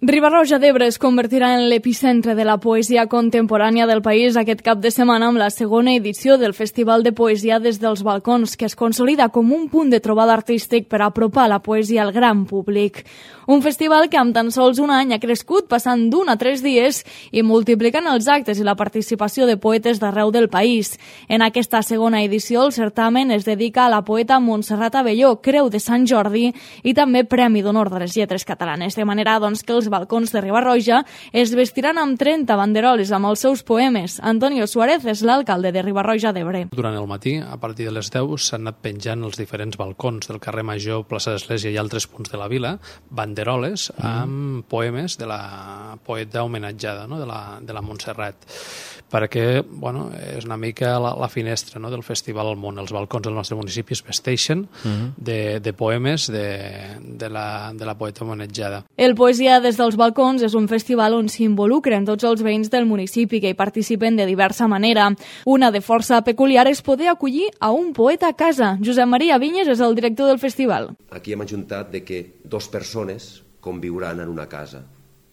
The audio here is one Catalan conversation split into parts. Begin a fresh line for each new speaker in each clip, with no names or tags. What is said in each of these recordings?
Riba-roja d'Ebre es convertirà en l'epicentre de la poesia contemporània del país aquest cap de setmana amb la segona edició del Festival de Poesia des dels Balcons, que es consolida com un punt de trobada artístic per apropar la poesia al gran públic. Un festival que amb tan sols un any ha crescut, passant d'1 a 3 dies i multiplicant els actes i la participació de poetes d'arreu del país. En aquesta segona edició, el certamen es dedica a la poeta Montserrat Abelló, Creu de Sant Jordi i també Premi d'Honor de les Lletres Catalanes, de manera que els balcons de Riba-roja es vestiran amb 30 banderoles amb els seus poemes. Antonio Suárez és l'alcalde de Riba-roja d'Ebre.
Durant el matí, a partir de les 10, s'han anat penjant els diferents balcons del carrer Major, plaça d'Església i altres punts de la vila, banderoles amb poemes de la poeta homenatjada, no? de la Montserrat, perquè és una mica la finestra, no? del festival al món. Els balcons del nostre municipi es vesteixen de poemes de la poeta homenatjada.
El Poesia des dels Balcons és un festival on s'involucren tots els veïns del municipi que hi participen de diversa manera. Una de força peculiar és poder acollir a un poeta a casa. Josep Maria Vinyes és el director del festival.
Aquí hem ajuntat que 2 persones conviuran en una casa.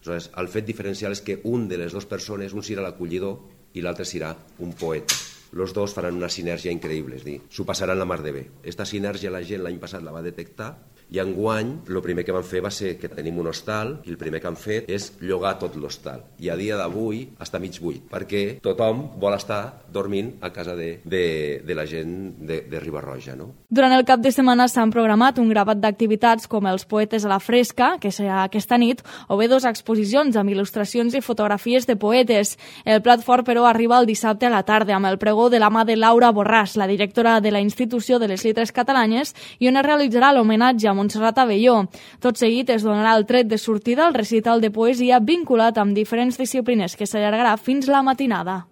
Aleshores, el fet diferencial és que un de les 2 persones, un serà l'acollidor i l'altre serà un poeta. Los dos faran una sinergia increïble, és dir, s'ho passaran la mar de bé. Esta sinergia la gent l'any passat la va detectar i enguany el primer que van fer va ser que tenim un hostal i el primer que han fet és llogar tot l'hostal. I a dia d'avui està mig buit, perquè tothom vol estar dormint a casa de la gent de Riba-roja. No?
Durant el cap de setmana s'han programat un grapat d'activitats com els Poetes a la Fresca, que serà aquesta nit, o bé 2 exposicions amb il·lustracions i fotografies de poetes. El plat fort, però, arriba el dissabte a la tarda amb el pregó de la mà de Laura Borràs, la directora de la Institució de les Lletres Catalanes, i on es realitzarà l'homenatge a Montserrat Abelló. Tot seguit es donarà el tret de sortida al recital de poesia vinculat amb diferents disciplines que s'allargarà fins la matinada.